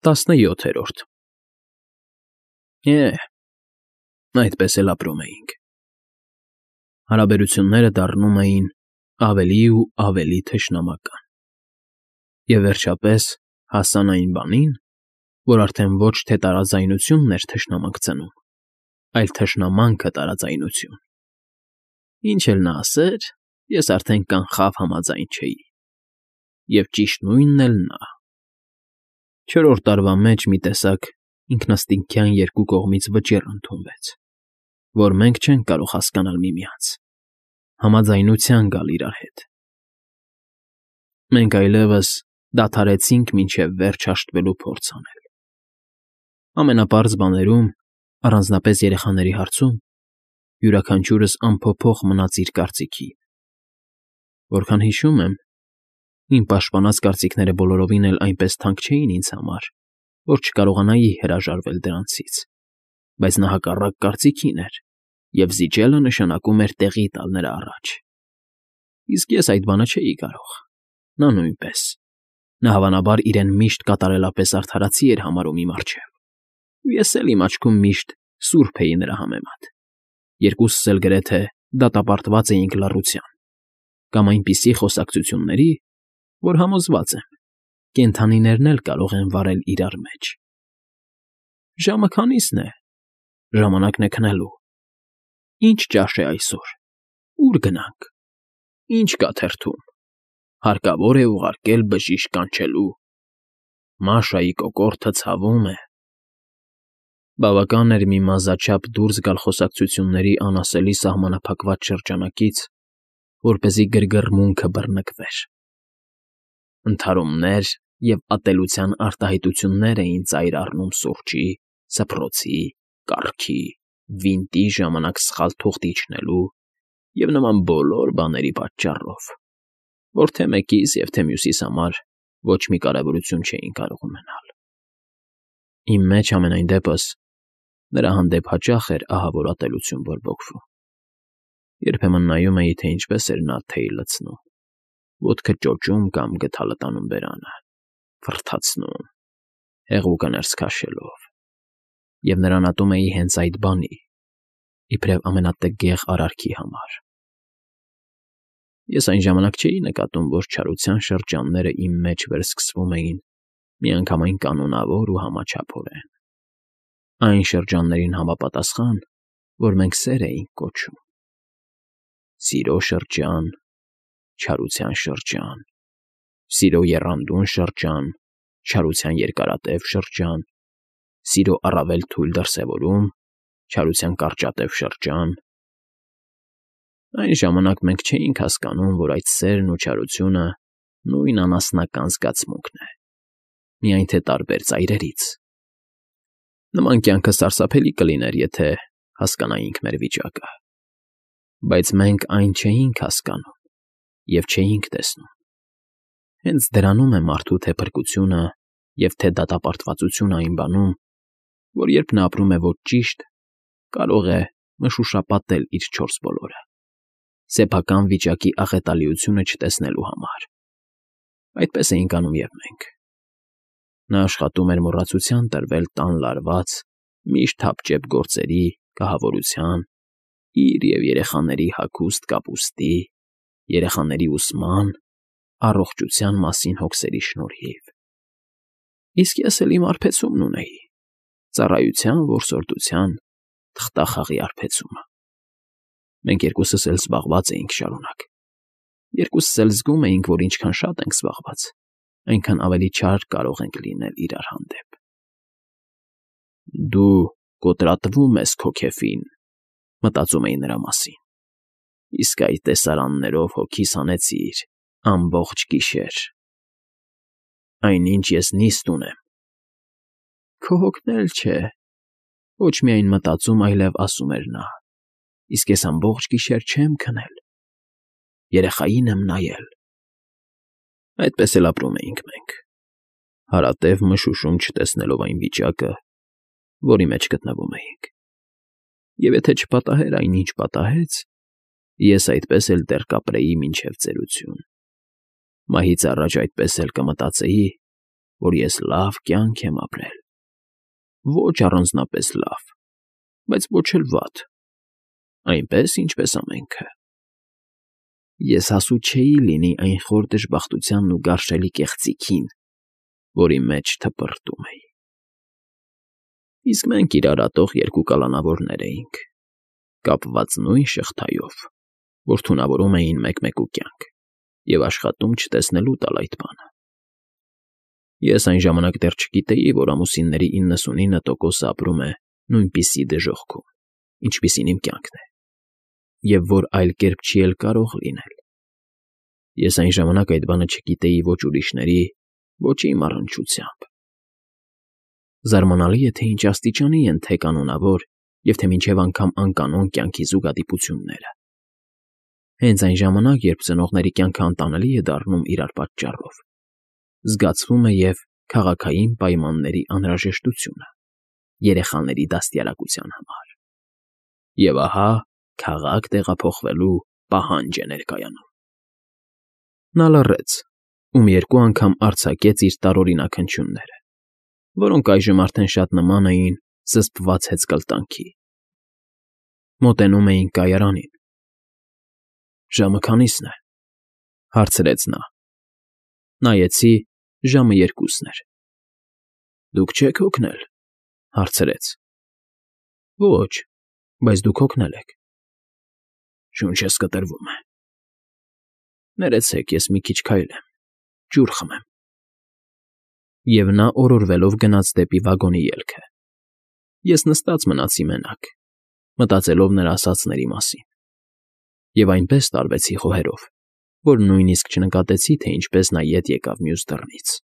17-րդ Այդպես էլ ապրում էինք։ Հարաբերությունները դառնում էին ավելի ու ավելի թշնամական։ Եվ վերջապես հասան այն բանին, որ արդեն ոչ թե տարաձայնությունն էր թշնամանք ծնում, այլ թշնամանքը տարաձայնություն։ Ինչ էլ նա ասեր, ես արդեն կանխավ համաձայն չէի։ Եվ ճիշտ նույնն էլ նա։ 4-րդ տարվա մեջ մի տեսակ ինքնըստինքյան երկու կողմից վճիռ ընդունվեց, որ մենք չենք կարող հասկանալ միմյանց, համաձայնության գալ իրար հետ։ Մենք այլևս դադարեցինք մինչև վերջ հաշտվելու փորձ անել։ Ամենապարզ բաներում, առանձնապես երեխաների հարցում, յուրաքանչյուրս անփոփոխ մնաց իր կարծիքին։ Որքան հիշում եմ, իմ պաշտպանած կարծիքները բոլորովին էլ այնպես թանկ չէին ինձ համար, որ չկարողանայի հրաժարվել դրանցից, բայց նա հակառակ կարծիքին էր, և զիջելը նշանակում էր տեղի տալ նրա առաջ։ Իսկ ես այդ բանը չէի կարող, նա նույնպես։ Նա հավանաբար իրեն միշտ կատարելապես արդարացի էր համարում իմ առջև, ու ես էլ իմ աչքում միշտ սուրբ էի նրա համեմատ։ Երկուսս էլ գրեթե դատապարտված էինք լռության կամ այնպիսի խոսակցությունների, որ համոզված եմ, կենդանիներն էլ կարող են վարել իրար մեջ։ Ժամը քանի՞սն է։ Ժամանակն է քնելու։ Ինչ ճաշ է այսօր։ Ո՞ւր գնանք։ Ինչ կա թերթում։ Հարկավոր է ուղարկել բժիշկ կանչելու։ Մաշայի կոկորդը ցավում է։ Բավական էր մի մազաչափ դուրս գալ խոսակցությունների անասելի սահմանափակված շրջանակից, որպեսզի գրգռմունքը բռնկվեր։ Ընդհարումներ և ատելության արտահայտություններ էին ծայր առնում սուրճի, սփռոցի, կառքի, վինտի ժամանակ սխալ թուղթ իջնելու և նման բոլոր բաների պատճառով, որ թե մեկիս և թե մյուսիս համար ոչ մի կարևորություն չէին կարող ունենալ։ Իմ մեջ համենայն դեպս նրա հանդեպ հաճախ էր ահավոր ատելություն բորբոքվում։ Երբեմն նայում էի, թե ինչպես էր նա թեյ լցնում, ոտքը ճոճում կամ գդալը տանում բերանը, ֆռթացնում, հեղուկը ներս քաշելով, և նրան ատում էի հենց այդ բանի, իբրև ամենատգեղ արարքի համար։ Ես այն ժամանակ չէի նկատում, որ չարության շրջանները իմ մեջ վերսկսվում էին միանգամայն կանոնավոր ու համաչափորեն։ Այն շրջաններին համապատասխան, որ մենք սեր էինք կոչում. սիրո շրջան, չարության շրջան, սիրո եռանդուն շրջան, չարության երկարատև շրջան, սիրո առավել թույլ դրսևորում, չարության կարճատև շրջան։ Այն ժամանակ մենք չէինք հասկանում, որ այդ սերն ու չարությունը նույն անասնական զգացմունքն է, միայն թե տարբեր ծայրերից։ Նման կյանքը սարսափելի կլիներ, եթե հասկանայինք մեր վիճակը, բայց մենք այն չէինք հասկանում և չէինք տեսնում։ Հենց դրանում է մարդու թե փրկությունը և թե դատապարտվածությունը այն բանում, որ երբ նա ապրում է ոչ ճիշտ, կարող է մշուշապատել իր չորս բոլորը, սեփական վիճակի աղետալիությունը չտեսնելու համար։ Այդպես էինք անում և մենք։ Նա աշխատում էր մոռացության տրվել տան լարված, միշտ հապճեպ գործերի, կահավորության, իր և երեխաների հագուստ կապուստի, երեխաների ուսման, առողջության մասին հոգսերի շնորհիվ։ Իսկ ես էլ իմ արբեցումն ունեի՝ ծառայության, որսորդության, թղթախաղի արբեցումը։ Մենք երկուսս էլ զբաղված էինք շարունակ։ Երկուսս էլ զգում էինք, որ ինչքան շատ ենք զբաղված, այնքան ավելի չար կարող ենք լինել իրար հանդեպ։ Դու կոտրատվում ես քո քեֆին, մտածում էի նրա մասին, իսկ այդ տեսարաններով հոգիս հանեցիր ամբողջ գիշեր։ Այնինչ ես նիստ ունեմ։ Քո հոգն էլ չէ, ոչ միայն մտածում, այլև ասում էր նա, իսկ ես ամբողջ գիշեր չեմ քնել, երեխային եմ նայել։ Այդպես էլ ապրում էինք մենք, հարատև մշուշում չտեսնելով այն վիճակը, որի մեջ գտնվում էինք։ Եվ եթե չպատահեր այն, ինչ պատահեց, ես այդպես էլ դեռ կապրեի մինչև ծերություն։ Մահից առաջ այդպես էլ կմտածեի, որ ես լավ կյանք եմ ապրել, ոչ առանձնապես լավ, բայց ոչ էլ վատ, այնպես, ինչպես ամենքը։ Ես հասու չէի լինի այն խոր դժբախտությանն ու գարշելի կեղծիքին, որի մեջ թպրտում էի։ Իսկ մենք իրարատող երկու կալանավորներ էինք, կապված նույն շղթայով, որ թունավորում էին մեկ-մեկու կյանք և աշխատում չտեսնելու տալ այդ բանը։ Ես այն ժամանակ դեռ չգիտեի, որ ամուսինների 99%-ը ապրում է նույնպիսի դժոխքում, ինչպիսին իմ կյանքն է, և որ այլ կերպ չի էլ կարող լինել։ Ես այն ժամանակ այդ բանը չգիտեի ոչ ուրիշների, ոչ իմ առնչությամբ։ Զարմանալի է, թե ինչ աստիճանի են թե կանոնավոր և թե մինչև անգամ անկանոն կյանքի զուգադիպությունները։ Հենց այն ժամանակ, երբ ծնողների կյանքը անտանելի է դառնում իրար պատճառով, զգացվում է և քաղաքային պայմանների անհրաժեշտությունը երեխաների դաստիարակության համար։ Եվ ահա քաղաք տեղափոխվելու պահանջ է ներկայանում։ Նա լռեց, ում երկու անգամ արձակեց իր տարօրինակ հնչյունները, որոնք այժմ արդեն շատ նման էին զսպված հեծկլտանքի։ Մոտենում էինք կայարանին։ «Ժամը քանի՞սն է,֊ հարցրեց նա։ Նայեցի, ժամը 2-ն էր։ «Դուք չե՞ք հոգնել,֊ հարցրեց։ Ոչ, բայց դուք հոգնել եք։ Շունչս կտրվում է։ Ներեցեք, ես մի քիչ քայլեմ, ջուր խմեմ»։ Եվ նա օրորվելով գնաց դեպի վագոնի ելքը։ Ես նստած մնացի մենակ, մտածելով նրա ասածների մասին, և այնպես տարվեցի խոհերով, որ նույնիսկ չնկատեցի, թե ինչպես նա ետ եկավ մյուս դռնից։